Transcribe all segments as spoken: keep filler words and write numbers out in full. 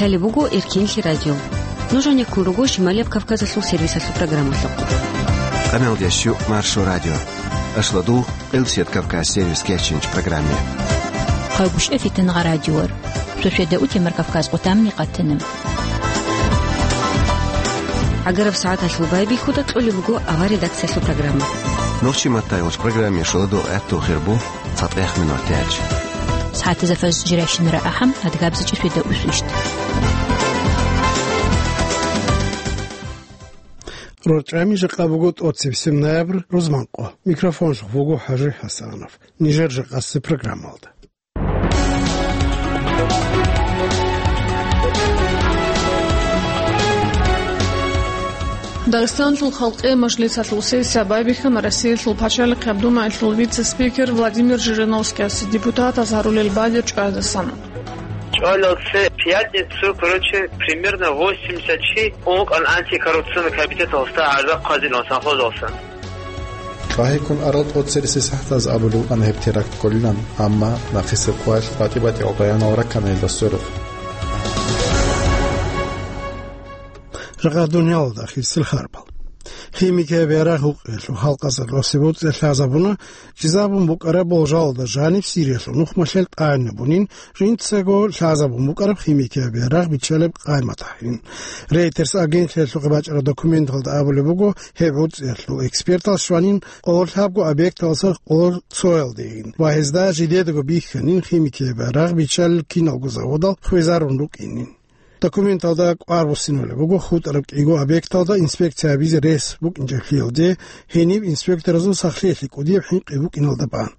Лъалеб буго Эркенлъи радио. Нуж гьанеккун руго Шималияб Кавказалъул сервисалъул программалъухъ. Къамелдеш щу Маршо радио. Ашладу Къилсият Кавказ сервис кечинч программе. Хъагушев Фитнагъа радиор. Сосиеда утемар Кавказ къутамни къатана. ГӀагараб сагӀаталъул байбихьуда кьолеб буго авар редакциялъул программа. Нохчи матайулч программе шуладу гӀатту хирбу цатӀех минут тяч. СагӀатазафаз жирайщинара ахӀам, адгабзичӀи сосиеда усвищт. РорчӀами жакъа буго тӀоцебесеб ноябрь рузманкъо. Микрофонлъухъ буго ХӀажи ХӀасанов. Нижер жакъасеб программалда. Дагъистаналъул халкъиял мажлисалъул сессия байбихьана Россиялъул пачалихъаб думаялъул вице-спикер Владимир Жириновскияс депутатаз гьарулел балел чӀваздасан. ЧӀвалел цо пятницу, короче, примерно восемьдесят чи ункъан антикоррупционный комитеталдаса гӀарза хъвазилан совхозалдасан. ЛъагӀиккун арал тӀоцересел сахӀатаз абулев вукӀана гьеб теракт кколилан, амма нахъисеб къоялъ батӀи-батӀиял баянал раккана гьелда сверухъ. Жакъа дуниялалда ахирисел харбал. Химикияб ярагъ гьукъиялъул халкъазда росеб буцӀцӀи лъазабуна, жидеб букӀараб болжалда жаниб Сириялъул нухмалъел тӀагӀинабунин, жинцаго лъазабун букӀараб химикияб ярагъ биччалеб къаймат гьанин. Рейтерс агентлъиялъухъе бачӀараб документалда абулеб буго, гьеб буцӀцӀиялъул экспертал щванин къоло лъабго объекталдаса къоло цоялдейин ва гьезда жидедаго бихьанин химикияб ярагъ биччалел киналго заводал хвезарун рукӀинин. Документалда кӀвар буссиналъе буго хутӀараб кӀиго объекталда инспекция гьабизе рес букӀинчӀеблъиялде, гьениб инспекторазул сахлъиялъе кӀудияб хӀинкъи букӀиналда бан.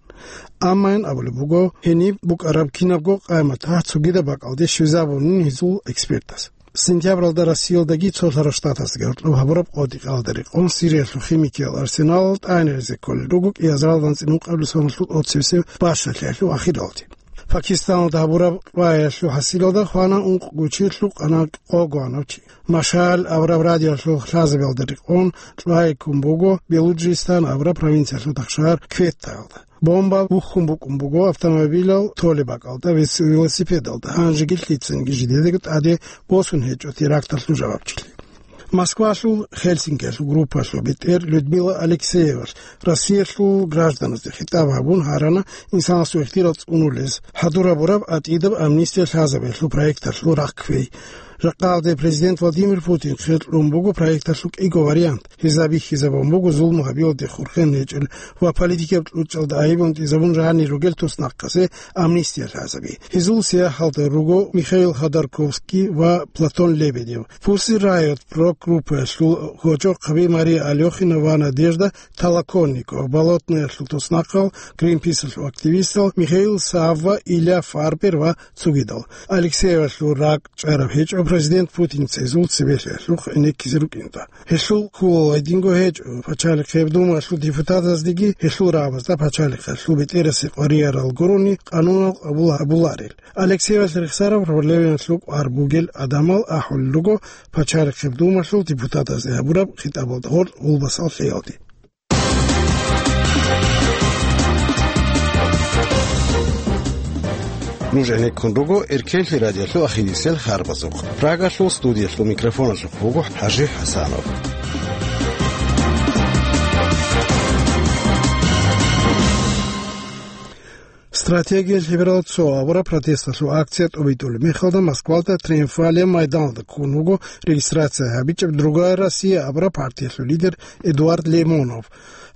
Амма ин абулеб буго, гьениб букӀараб кинабго къаймат гьагь цогидаб бакӀалде щвезабунин гьезул экспертаз. Сентябралда Россиялдаги цо лъарал штатаздаги гьоркьоб гьабураб къотӀи-къалда рекъон Сириялъул химикиял арсеналал тӀагӀинабизе кколел руго кӀиазаралда анцӀила ункъабилеб соналъул тӀоцебесеб бащалъиялъул ахиралде. Пакистаналда гьабураб кьваялъул хӀасилалда хвана ункъго чи, лъукъана къогоанав чи. Машал абураб радиоялъул лъазабиялда рекъон кьвай ккун буго Белуджистан абураб провинциялъул тахшагьар Кветтаялда. Бомба бухьун букӀун буго автомобилал толеб бакӀалда ва велосипедалда, гьанжеги лъицаниги жидедаго тӀаде босун гьечӀо теракталъул жавабчилъи. Москвалъул Хельсинкиялъул группаялъул бетӀер Людмила Алексеевалъ Россиялъул гражданазде хитӀаб гьабун гьарана инсанасул ихтияр цӀунулез, хӀадур гьабураб АтӀидаб амнистия лъазабиялъул проекталъул рахъ кквей. Жакъа гьалде президент Владимир Путин хъе кьун буго проекталъул кӀиго вариант, гьезда бихьизабун буго зулму гьабиялде хурхен гьечӀел ва политикияб кьучӀалда айиб гьунтӀизабун жанир ругел туснахъасе амнистия лъазаби. Гьезул сияхӀалда руго Михаил Ходорковский ва Платон Лебедев. Pussy Riot рок-группаялъул гьоркьохъаби Мария Алёхина ва Надежда Толоконникова, Болотноялъул туснахъал, Гринписалъул активистал Михаил Савва, Илья Фарбер ва цогидал. Алексеевалъул ракӀ чӀараб гьечӀо президент Путинца гьезул цебелъиялъухъ гӀенеккизе рукӀиналда. Гьелъул кколеб гьединго гьечӀо, пачалихъеб думаялъул депутатаздеги гьелъул рагӀабазда пачалихъалъул бетӀерасе къваригӀарал гурони къанунал къабул гьабуларел. Алексеевалъ рехсараб проблемаялъул кӀвар бугел гӀадамал ахӀулел руго пачалихъеб думаялъул депутатазде гьабураб хитӀабалда гьоркь гъулбасал лъеялде. Нуж гӀенеккун руго Эркенлъи радиоялъул ахирисел харбазухъ. Прагалъул студиялъул микрофоналъухъ вуго ХӀажи ХӀасанов. Стратегиялъ гьебирал цо абураб протесталъул акция тӀобитӀулеб мехалда Москвалда Триумфальный майданалда ккун вуго регистрация гьабичӀеб «Другая Россия» абураб партиялъул лидер Эдуард Лимонов.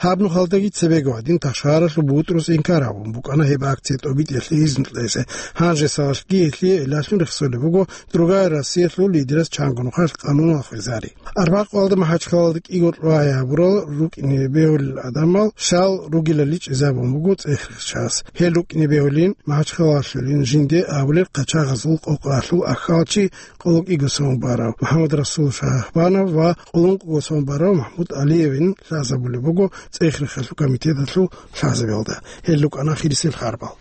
Гьаб нухалдаги цебего гьадин тахшагьаралъул бутӀрус инкар гьабун букӀана гьеб акция тӀобитӀиялъе изну кьезе. Гьанже сагъалъги гьелъие гӀиллалъун рехсолеб буго «Другая Россиялъул» лидерас чанго нухалъ къанунал хвезари. Арбякьвалда МахӀачхъалалда кӀиго кьвай гьабурал рукӀине бегьулел гӀадамал щал ругилали чӀезабун буго цӀех-рехчас. Гьел рукӀине бегьулин, МахӀачхъалалъулин жинде абулел къачагъазул къокъалъул ахьалчи къоло кӀиго сон барав МухӀаммадрасул Шагьбанов ва къоло ункъого сон барав МахӀмуд ГӀалиевин лъазабулеб буго цӀех-рехалъул комитеталъул лъазабиялда. Гьел рукӀана ахирисел харбал.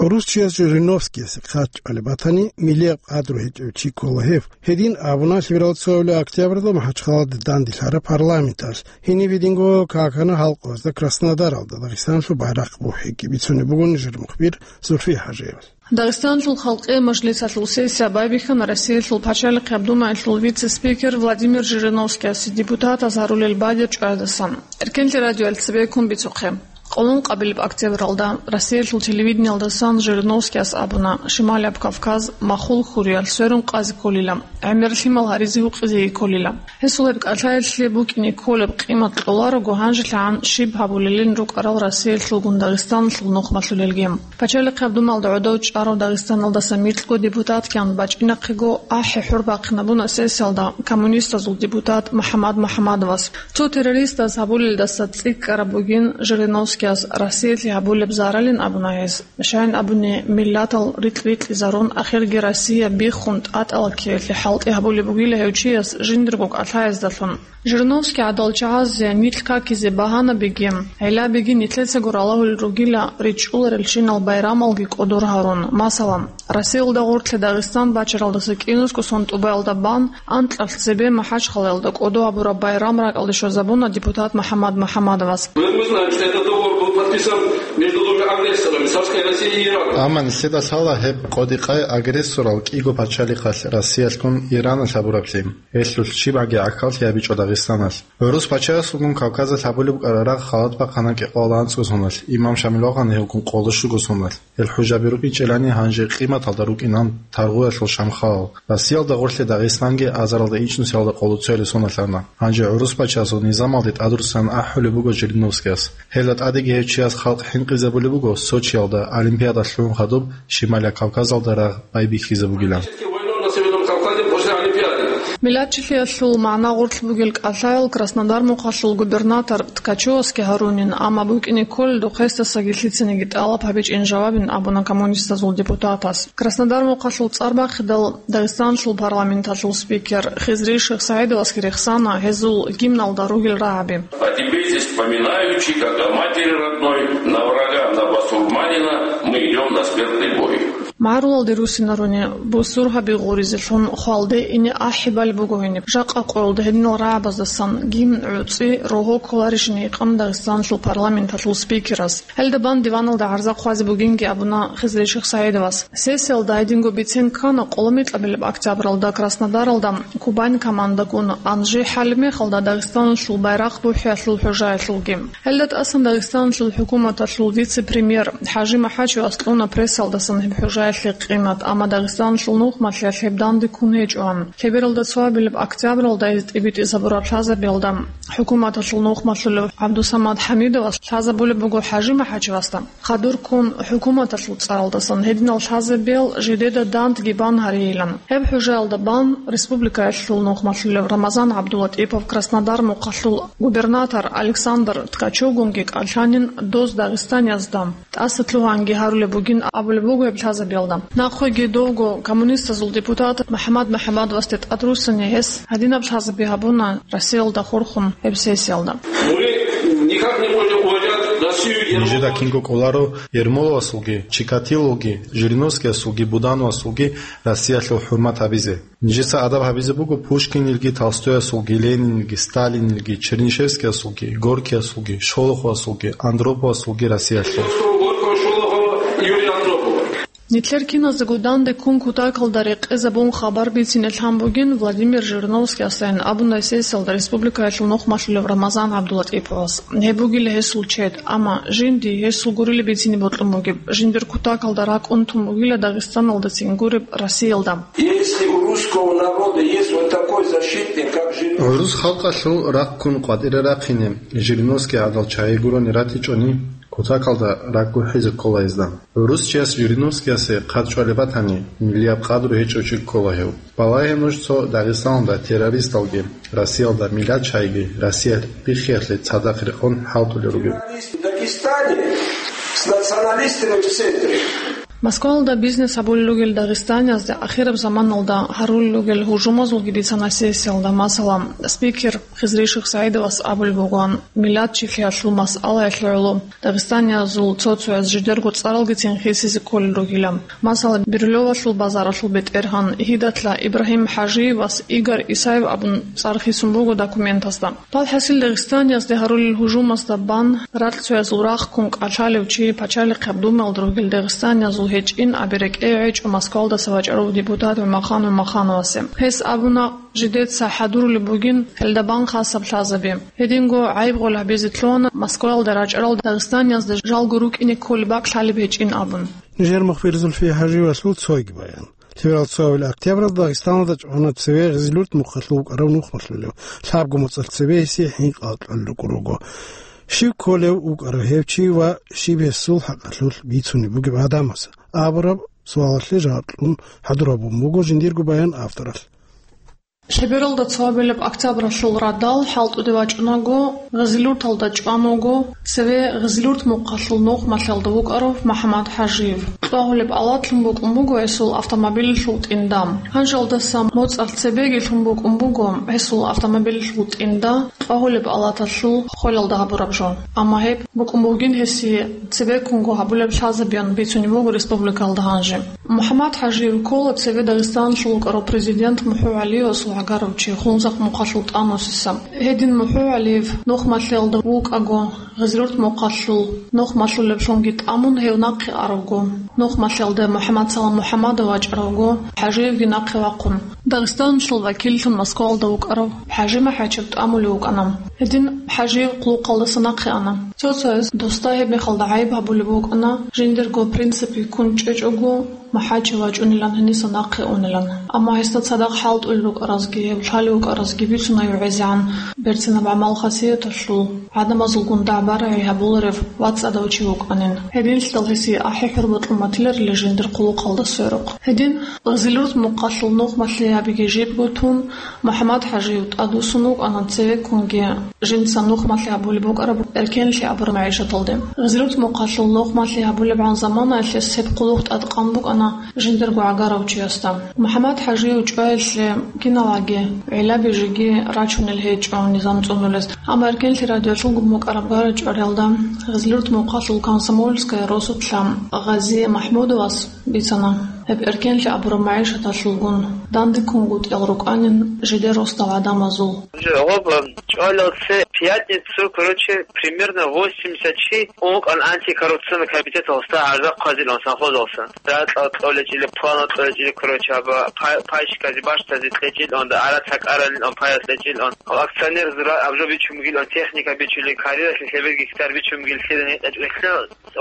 ГӀурус чияс Жириновскиясе хъат чӀвалеб батани, миллияб къадру гьечӀев чи ккола гьев. Гьедин абуна лъимерал цоявле октябрьда МахӀачхъалада данделъараб парламенталъ. Гьениб гьединго какана гьалкъуязда Краснодаралда Дагъистаналъул байрахъ бухӀиги бицунеб буго нижер мухбир Зульфия ХӀажиева. Дагъистаналъул халкъиял мажлисалъул сессия байбихьана Россиялъул пачалихъияб думаялъул вице-спикер Владимир Жириновскиясе депутатаз гьарулел бадиб чӀваздасан. Эркенлъи радиоялъ цебеккун бицухъе. Къолон къабилеб октябралда Россиялъул телевидениялдасан Жириновскияс абуна, Шималияб Кавказ махул хьуриялъ сверун къазе кколила, гӀемер лъимал гьаризе гьукъизеги кколила. Гьесул гьеб кӀалъаялъе букӀине кколеб къимат кьоларого гьанжелъагӀан щиб гьабулелин рукӀарал Россиялъулгун Дагъистаналъул нухмалъулелги. Пачалихъияб думаялда гӀодов чӀарав Дагъистаналдаса микьго депутат ккан бачӀинахъего ахӀи-хӀур бахъинабуна сессиялда коммунистазул депутат МухӀаммад МухӀаммадовас. Цо террористаз гьабулелдаса цӀикӀкӀараб бугин Жириновскияс Россиялъе гьабулеб заралин абуна гьес. Щайин абуни, миллатал рикь-рикьизарун, ахирги Россия биххун тӀатӀала ккеялъе хӀалтӀи гьабулеб бугила гьев чияс жиндирго кӀалъаздалъун. Жириновский гӀадал чагӀазе нилъ какизе багьанабиги, гӀиллабиги нилъецаго ралагьулел ругила ричӀчӀуларелщинал байрамалги кӀодор гьарун. Масала, Россиялда гъорлъе Дагъистан бачаралдаса кӀинусго сон тӀубаялда бан анкьалъ цебе МахӀачхъалаялда кӀодо гьабураб байрам ракӀалде щвезабуна депутат МухӀаммад МухӀаммадовас. Мы, мы знаем, что этот договор был подписан между двумя агрессорами, Царской Россией и Ираном. Амма нилъеда лъала гьеб къодикъай агрессорал кӀиго пачалихъалъ Россиялъгун Ираналъ гьабураблъи. Гьелъулъ щибгӀаги гӀахьаллъи гьабичӀо Дагъистаналъ. ГӀурус пачаясулгун Кавказалъ гьабулеб букӀараб рагъ халат бахъана кӀикъоялда анцӀго соналъ, имам Шамил вагъана гьевгун къоло щуго соналъ. Гьел хӀужаби рукӀинчӀелани гьанже къиматалда рукӀинан Таргъуялъул Шамхал. Россиялда гъорлъе Дагъистанги азаралда ичӀнусиялда къоло цоялде соналъана. Гьанже гӀурус пачаясул низамалде тӀадрусан ахӀулеб буго Жириновскияс. Гьелда тӀадеги гьев чияс халкъ хӀинкъизабулеб буго Сочиялда Олимпиада лъугӀун хадуб Шималияб Кавказалда рагъ байбихьизабугилан. Миллатчилъиялъул магӀна гъорлъ бугел кӀалъаял Краснодар мухъалъул губернатор Ткачевасги гьарунин, амма букӀине кколел духъесдасаги лъицаниги тӀалаб гьабичӀин жавабин абуна коммунистазул депутатас. Краснодар мухъалъул цӀар бахъидал Дагъистаналъул парламенталъул спикер Хизри Шихсагидовасги рехсана гьезул гимналда ругел рагӀаби. А теперь здесь вспоминаючи, как о матери родной, на врага, на басурманина мы идем на смертный бой. МагӀарулалде руссинаруни, бусургьаби гъуризелъун хвалде ине ахӀи бали буго гьениб. Жакъа къоялда гьединал рагӀабаздасан гимн гӀуцӀи рогьо кколарищин гьикъана Дагъистаналъул парламенталъул спикерас. Гьелда бан диваналда гӀарза хъвазе бугинги абуна Хизри Шихсагидовас. Сессиялда гьединго бицен ккана къоло микьабилеб октябралда Краснодаралда Кубань командагун, Анжи, гьалеб мехалда Дагъистаналъул байрахъ бухӀиялъул хӀужаялъулги. Гьелда тӀасан Дагъистаналъул хӀукуматалъул вице-премьер ХӀажи МахӀачевас кьуна прессалдасан гьеб хӀужаялъе къимат, амма Дагъистаналъул нухмалъиялъ гьеб данде ккун гьечӀоан. Лъебералда цоабилеб октябралда гьез тӀибитӀизабураб лъазабиялда хӀукуматалъул нухмалъулев ГӀабдусамад ХӀамидовас лъазабулеб буго ХӀажи МахӀачевасда. Хадур ккун хӀукуматалъул цӀаралдасан гьединал лъазабиял жидеда дандги бан гьарейилан. Гьеб хӀужаялда бан республикаялъул нухмалъулев Рамазан ГӀабдулатӀипов Краснодар мухъалъул губернатор Александр Ткачевгунги кӀалъанин доз дагъистаниязда тӀаса лъугьанги гьарулеб бугин абулеб буго гьеб лъазабиялда. Нахъеги довго коммунистазул депутат МухӀаммад МухӀаммадовасде тӀадруссани гьес гьадинаб лъазаби гьабуна Россиялда хурхун гьеб сессиялда. Мы никак не можем уважать Россию. Нижеда кинго кӀоларо Ермоловасулги, Чикатилоги, Жириновскиясулги, Будановасулги Россиялъул хӀурмат гьабизе. Нижеца адаб гьабизе буго Пушкинилги, Толстоясулги, Ленинилги, Сталинилги, Чернышевскиясулги, Горькиясулги, Шолоховасулги, Андроповасулги Россиялъул. Горького, Шолохова и Юрия Андропова. Нилъер киназего данде ккун кутакалда рекъезабун хабар бицине лъан бугин Владимир Жириновскиясайин абуна сессиялда республикаялъул нухмалъулев Рамазан ГӀабдулатӀиповас. Гьеб бугила гьесул чед, амма жинди гьесул гурилеб бицине бокьун бугеб, жиндир кутакалда ракӀун тун бугила Дагъистаналдацин гуреб Россиялда. Если у русского народа есть вот такой защитник, как Жириновский. ГӀурус халкъалъул рахъ ккун къватӀире рахъине Жириновский гӀадал чагӀи гурони ратичӀони, кутакалда ракӀ гурхӀизе ккола гьезда. ГӀурус чияс Жириновскиясе хъат чӀвалеб батани, миллияб къадру гьечӀев чи ккола гьев. Балагье нуж цо Дагъистаналда террористалги, Россиялда миллатчагӀиги Россиялъ биххиялъе цадахъ рекъон хӀалтӀулел ругел. В Дагестане с националистами в центре. Москвалда бизнес гьабулел ругел дагъистаниязде ахираб заманалда гьарулел ругел гьужумазулги бицана сессиялда. Масала, спикер Хизри Шихсаидовас абулеб бугоан, миллатчилъиялъул масъалаялъе гӀоло дагъистаниязул цо-цояз жидерго цӀаралгицин хисизе кколел ругила. Масала, Бирюлевалъул базаралъул бетӀергьан Гьидатла Ибрагьим ХӀажиевас Игорь Исаев абун цӀар хисун буго документазда. ВалхӀасил, дагъистаниязде гьарулел гьужумазда бан ракьцоязул рахъ ккун кӀалъалев чи пачалихъаб Думаялда ругел дагъистаниязул гьечӀин аби рекӀее гӀечӀо Москвалдаса вачӀарав депутат ГӀумахъан ГӀумахъановасе. Гьес абуна, жидеца хӀадурулеб бугин гьелда бан хасаб лъазаби. Гьединго гӀайиб гъол гьабизе лъугьана Москваялда рачӀарал дагъистаниязда жалго рукӀине кколеб бакӀ лъалеб гьечӀин абун. Нижер мухбир Зульфия ХӀажиевалъул цойги баян. Лъеберал цоабил октябралда Дагъистаналда чӀвана цеве Гъизилурт мухъалъув вукӀарав нухмалъулев, лъабго моцӀалъ цебе гьесие хӀинкъи кьолел рукӀун руго. Щив кколев вукӀарав гьев чи ва щиб гьесул хӀакъалъулъ бицунеб бугеб гӀадамаз абураб суалалъе жаваб кьун хӀадур гьабун буго жиндирго баян авторалъ. Лъебералда цоабилеб октябралъул радал хӀалтӀуде вачӀунаго, Гъизилурталда чӀван вуго цеве Гъизилурт мухъалъул нухмалъиялда вукӀарав МухӀаммад ХӀажиев. Кьвагьулеб алатлъун букӀун буго гьесул автомобилалъул тӀинда. Гьанжалдаса моцӀалъ цебеги лъун букӀун буго гьесул автомобилалъул тӀинда кьвагьулеб алаталъул холелда гьабураб жо. Амма гьеб букӀун бугин гьесие цебеккунго гьабулеб лъазабиян бицунеб буго республикалда гьанже. МухӀаммад ХӀажиев ккола цеве Дагъистаналъул вукӀарав президент МухӀу ГӀалиевасул гӀагарав чи Хунзахъ мухъалъул тӀанусиса. Гьедин МухӀу ГӀалиев нухмалъиялда вукӀаго, Гъизилурт мухъалъул нухмалъулеблъунги тӀамун гьев нахъе аравго, нухмалъиялда МухӀаммадсалам МухӀаммадов вачӀаравго, ХӀажиевги нахъе вахъун, Дагъистаналъул вакиллъун Москвалда вукӀарав ХӀажимахӀачев тӀамулев вукӀана. Гьедин ХӀажиев хъулухъалдаса нахъе ана. Цо-цояз досда гьеб мехалда гӀайиб гьабулеб букӀана, жиндирго принципе ккун чӀечӀого, МахӀачев вачӀунилан гьениса нахъе унилан. Амма гьесда цадахъ хӀалтӀулел рукӀаразги, гьев лъалев вукӀаразги бицуна гӀезегӀан берцинаб гӀамал-хасияталъул, гӀадамазулгун дагӀба-рагӀи гьабуларев ва цӀадав чи вукӀанин. Гьединлъидал гьесие ахӀи-хӀурмат кьун батиларила жиндир хъулухъалда сверухъ. Гьедин Гъизилурт мухъалъул нухмалъиябиги жибго тун, МухӀаммад ХӀажиев тӀадвуссун вукӀана цевеккунги жинца нухмалъи гьабулеб букӀараб эркенлъи абураб магӀишаталде. Гъизилурт мухъалъул нухмалъи гьабулебгӀан заманаялъ гьес гьеб хъулухъ тӀадкъан букӀана жиндирго гӀагарав чиясда. МухӀаммад ХӀажиев чӀваялъе киналги гӀилла-бижиги рачунел гьечӀо низам цӀунулес. Амма Эркенлъи радиолъул гун букӀараб гара-чӀвариялда Гъизилурт мухъалъул Комсомольская росулъа Гъази МахӀмудовас бицана, гьеб эркенлъи абураб магӀишаталъулгун дандеккунгутӀиял рукӀанин жидер росдал гӀадамазул. Гъоб, чӀвалалце пятницу, короче, примерно восемьдесят чи ункъан антикоррупционный комитеталдаса гӀарза хъвазилан совхозалдаса. Ракьал кьолечӀили, планал кьолечӀили, короче, аба пай-, пайщиказе бащтазе кьечӀилан, арат гьакӀаралилан, паяс кьечӀилан. Акционер зура абжо бичун бугилан, техника бичулин, кариялъе лъебер гектар бичун бугил, лъида гьекъечӀ рехлъа.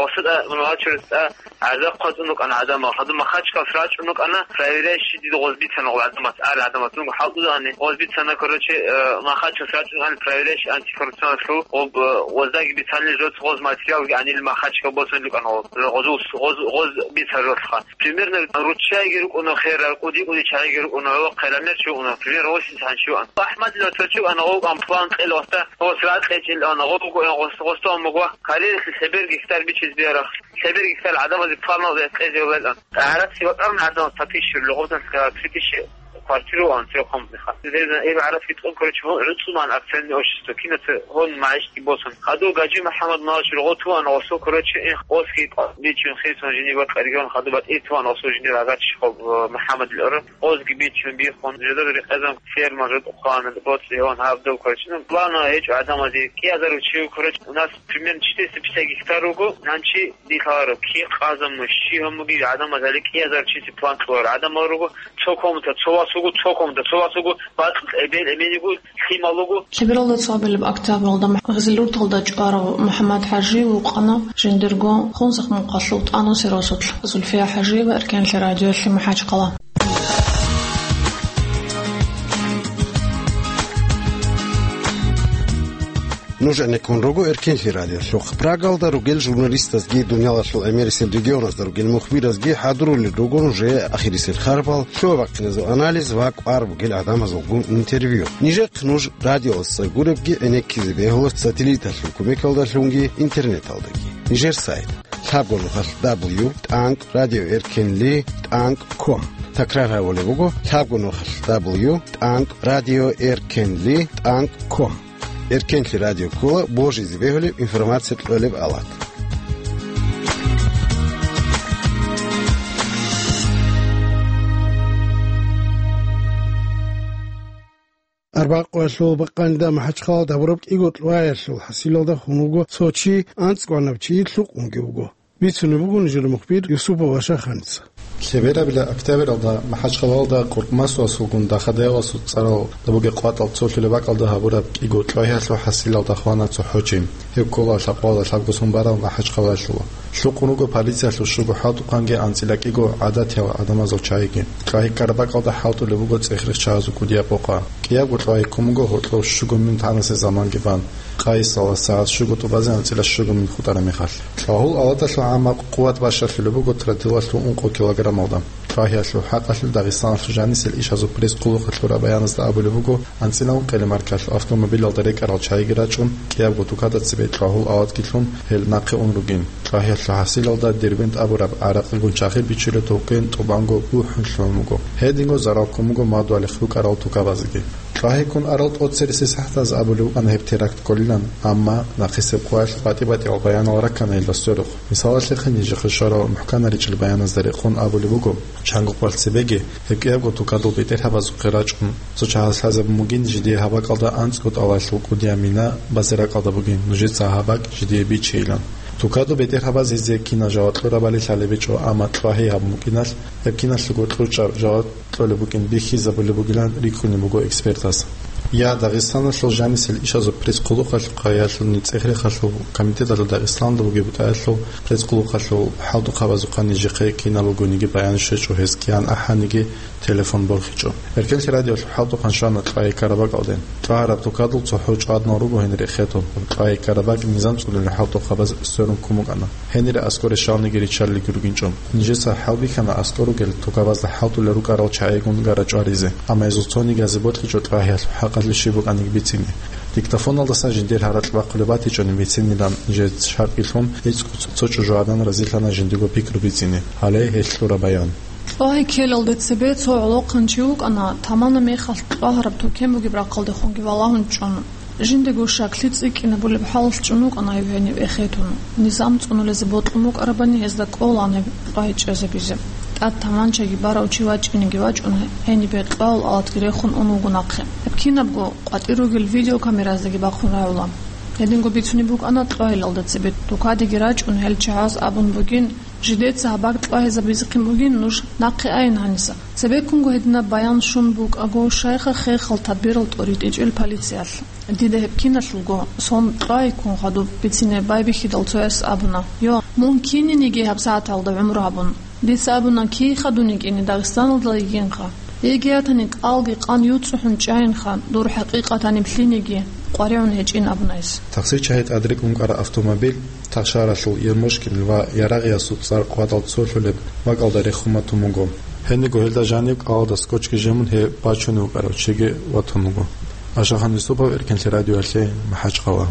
Осуда мунгьачуресда гӀарза хъвацӀун рукӀана гӀадамал. Гьадин Махачкалас рачӀун рукӀана, проверяющий дида гъоз бицана гъол гӀадамас, гӀар гӀадамас. Нуго хӀалтӀудани гъоз бицана, короче, э, Махачкалас рачӀун рукӀана проверяющий антикоррупционалъул, гъоб, э, гъоздаги бицанили жо гъоз материалги гӀанили Махачкал босун рукӀана гъоз. Гъозул, гъоз, гъоз бица жолха. Примерно руччайги рукӀуна херал, кӀуди-кӀуди чагӀиги рукӀуна, гӀолохъе рамер чи вукӀуна, примерно восемьдесят чи вукӀана. АхӀмадилла цо чи вукӀана, гъов амплан кьел вахта, гъос ракьечӀил ана, гъов гугоян гъос, гъостон мугва, кариялъе лъебер гектар бичиз биарахъ. Лъебер гектар гӀадамазе планалда кьезе валан. ГӀарац ватӀарун гӀадамаз пятьдесят рубль, гъозан три тысячи квартиру ан трёхкомнатный ха. Дезна эб гӀарац витӀун, короче, вон гӀуцӀуман акционный общество, кинаца гьон магӀишги босун. Хаду Гаджи МухӀаммад Малачир гъотуван гъосул, короче, ин гъосги бичун хисон жини ва къаригон хаду батӀи туван гъосул жини рагачи хоб, э, МухӀаммад Лора. Гъозги бичун бихун, жодор рекъезан ферма жод ухъан, боцӀи гьон гьабдал, короче. Ну, плана гьечӀо гӀадамазе кӀиазару чи, короче, у нас примерно четыреста пятьдесят гектар руго, нанчи дихаро, ки къазаму, щи гьамуги гӀадамаз гьали кӀиазар чиси план кьуар. ГӀадамал руго, цо комната, цо вас вуго, цо комната, цо вас вуго, бакь эбел, эменигу, лъимал вуго. Лъебералда цоабилеб октябралда Гъизилурталда чӀварав МухӀаммад ХӀажи вукъана жиндирго Хунзахъ мухъалъул тӀанусел росулъ Зульфия ХӀажиева, Эркенлъи радиолъи, МахӀачхъала. Нуж гӀенеккун руго Эркенлъи радиолъухъ. Прагалда ругел журналистазги, дуниялалъул гӀемерисел регионазда ругел мухбиразги хӀадурулел руго нужее ахирисел харпал, лъугьа-бахъиназул анализ ва кӀвар бугел гӀадамазулгун интервью. Нижехъ нуж радиоялдаса гуребги гӀенеккизе бегьула сателлиталъул кумекалдалъунги интернеталдаги. Нижер сайт. лъабго нухалъ дабл ю тӀанкӀ радиоэркенли тӀанкӀ ком. Такрар гьабулеб буго: лъабго нухалъ дабл ю тӀанкӀ радиоэркенли тӀанкӀ ком. Эркенлъи радио ккола божизе бегьулеб информация кьолеб алат. Арбакъоялъул бакъанида МахӀачхъалада гьабураб кӀиго кьваялъул хӀасилалда хун вуго цо чи, анцӀгоанаб чи лъукъунги вуго. Бицунеб буго нижер мухбир Юсупов Ашаханица. Лъеберабила октябралда МахӀачхъалалда Къуркъмасуасулгун Дахадаяласул цӀарал Дабуге къватӀал цолъулеб бакӀалда гьабураб кӀиго кьвагьиялъул хӀасилалда хвана цохӀо чи. Гьев ккола лъабкъоялда лъабго сон барав МахӀачхъалаялъула. Лъукъун руго полициялъул щуго хӀалтӀухъанги анцӀила кӀиго гӀадатиял гӀадамазул чагӀиги. Кьвагьи ккараб бакӀалда хӀалтӀулеб буго цӀех-рехчагьазул кӀудияб къокъа. КӀиябго кьвагьи ккун буго гьоркьов щуго мин тӀанасе заманги бан, къайисалас сагӀат щуго тӀубазе анцӀила щуго мин хутӀараб мехалъ. Кьвагьул алаталъул гӀаммаб къуват бащалъулеб буго тротилалъул ункъо килограммалда. Кьвагьиялъул хӀакъалъулъ Дагъистаналъул жанисел ишазул пресс-хъулухъалъура баяназда абулеб буго, анцӀила ункъелеб маркалъул автомобилалда рекӀарал чагӀиги рачӀун, кӀиябго тукада цебе кьвагьул алатги лъун, гьел нахъе ун ругин. Кьвагьиялъул хӀасилалда Дербент абураб гӀаракъигун чагӀи бичулеб товкен тӀубанго бухӀун лъугьун буго. Гьединго зарал ккун буго мадугьалихъ рукӀарал тукабазеги. Кьвагьи ккун арал тӀоцереси сахӀатаз абулеб букӀана гьеб теракт кколилан, амма нахъисеб къоялъ батӀи-батӀиял баянал раккана гьелда сверухъ. Мисалалъехъе, нижехъе щварал мухӀканаричӀел баяназда рекъон абулеб буго, чанго къоялъ цебеги гьеб кӀиябго тукадул бетӀергьабазухъе рачӀун, цо чагӀаз лъазабун бугин жидее гьаб бакӀалда анцӀго тӀалалъул кӀудияб мина базе ракӀалда бугин, нужеца гьаб бакӀ жидее бичейилан. Тукадул бетӀергьабаз гьезие кинал жаваб кьурабали лъалеб гьечӀо, амма кьвагьи гьабун букӀиналъ, гьеб киналъего кьучӀаб жаваб кьолеб букӀин бихьизабулеб бугилан рикӀкӀунеб буго экспертаз. Я Дагъистаналъул жанисел ишазул пресс-хъулухъалъухъаялъул, цӀех-рехалъул комитеталъул Дагъистаналда бугеб бутӀаялъул пресс-хъулухъалъул хӀалтӀухъабазухъа нижехъе кинал ругониги баян щвечӀо, гьез киян ахӀаниги телефон борхичӀо. Эркенлъи радиолъул хӀалтӀухъан щвана кьвагьи ккараб бакӀалде. Кьвагьараб тукадул цохӀо чӀваднал руго гьенир эхетун, кьвагьи ккараб бакӀ низам цӀунулел хӀалтӀухъабаз сверун ккун букӀана. Гьенире аскӀоре щалниги риччалелги ругинчӀо. Нижеца хӀал бихьана аскӀор ругел тукабазда хӀалтӀулел рукӀарал чагӀигун гара чӀваризе, амма гьезул цониги гьазе бокьичӀо кьвагьиялъул хӀакъалъулъ щиб букӀаниги бицине. Диктофоналдасан жиндир гьаракь бахъулеб батичӀони бицинилан нижеца шартӀги лъун, гӀицӀго цо чӀужугӀадан разилъана жиндиго пикру бицине. Гьале гьелъ кьура баян. Кьвагьи ккелалде цебе цо гӀолохъанчи вукӀана, тамана мехалъ кьвагьараб тукем бугеб рахъалдехунги валагьун чӀун. Жиндего щаклъи цӀикӀкӀинабулеб хӀалалъ чӀун вукӀана гьев гьенив эхетун. Низам цӀунулезе бокьун букӀарабани гьезда кӀолаан гьеб кьвагьи чӀезабизе. ТӀад таманчаги барав чи вачӀинеги вачӀун, гьенибе кьвагьул алатги рехун ун вуго нахъе. Гьеб кинабго къватӀир ругел видеокамераздаги бахъун рагӀула. Гьединго бицунеб букӀана кьвагьилалда цебе тукадеги рачӀун гьел чагӀаз абун бугин, жидеца гьаб бакӀ кьвагьизабизехъин бугин, нуж нахъе айин гьаниса. Цебеккунго гьединаб баян щун букӀаго, щайха хехал тадбирал тӀоритӀичӀел полициялъ. Дида гьеб киналъулго сон кьвагьи ккун хадуб бицине байбихьидал цояс абуна: «Йо, мун кининиги гьаб сагӀаталда гӀумру гьабун». Дица абуна: «Кийха дун йикӀине, Дагъистаналда йигинха. Йигиятани кӀалги къан юцӀухӀун чӀайинха, дур хӀакъикъатани лъиниги къваригӀун гьечӀин», — абуна гьес. Такъсир чагьи тӀадрекӀун кӀара автомобиль Тахшаралъул Ермошкин ва Ярагъиясул цӀар къватӀал цолъулеб бакӀалда рехун батун буго. Гьениго гьелда жаниб кӀалалда скотчги жемун гьеб бачунев вукӀарав чиги ватун вуго. Ашахан Юсупов, Эркенлъи радиоялъе, МахӀачхъала.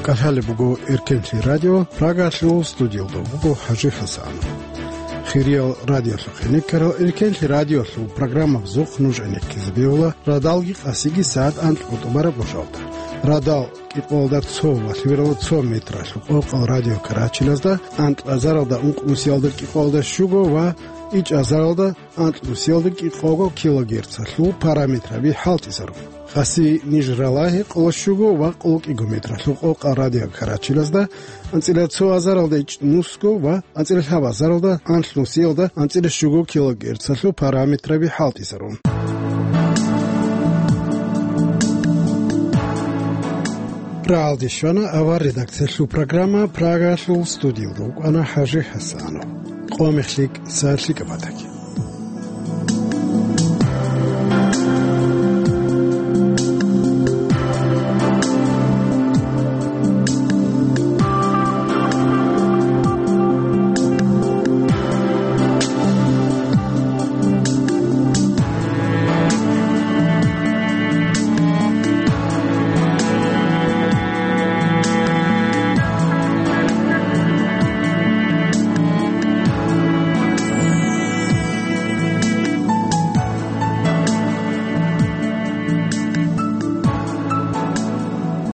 КӀалъалеб буго Эркенлъи радио, Прагалъул студиялда буго ХӀажи ХӀасан. Хириял радиолъухъ гӀенеккарал Эркенлъи радиолъул программабазухъ нуж гӀенеккизе бегьула радалги къасиги сагӀат анкьго тӀубараб гъожалда. Радал кӀикъоялда цо ва лъимералда цо метралъул къокъал радио карачилазда, анкьазаралда ункъ нусиялда кӀикъоялда щуго ва ичӀазаралда анкь нусиялда кӀикъого килогерцалъул параметраби хӀалтӀизарун. Къаси ниж ралагьи къоло щуго ва къоло кӀиго метралъул къокъал радио карачилазда, анцӀила цо азаралда ичӀнусго ва анцӀила лъабазаралда анлънусиялда анцӀила щуго килогерцалъул параметраби хӀалтӀизарун. Рагьалде щвана авар редакциялъул программа, Прагалъул студиялда вукӀана ХӀажи ХӀасанов. Къо мехлъи, са лъикӀаб батаги.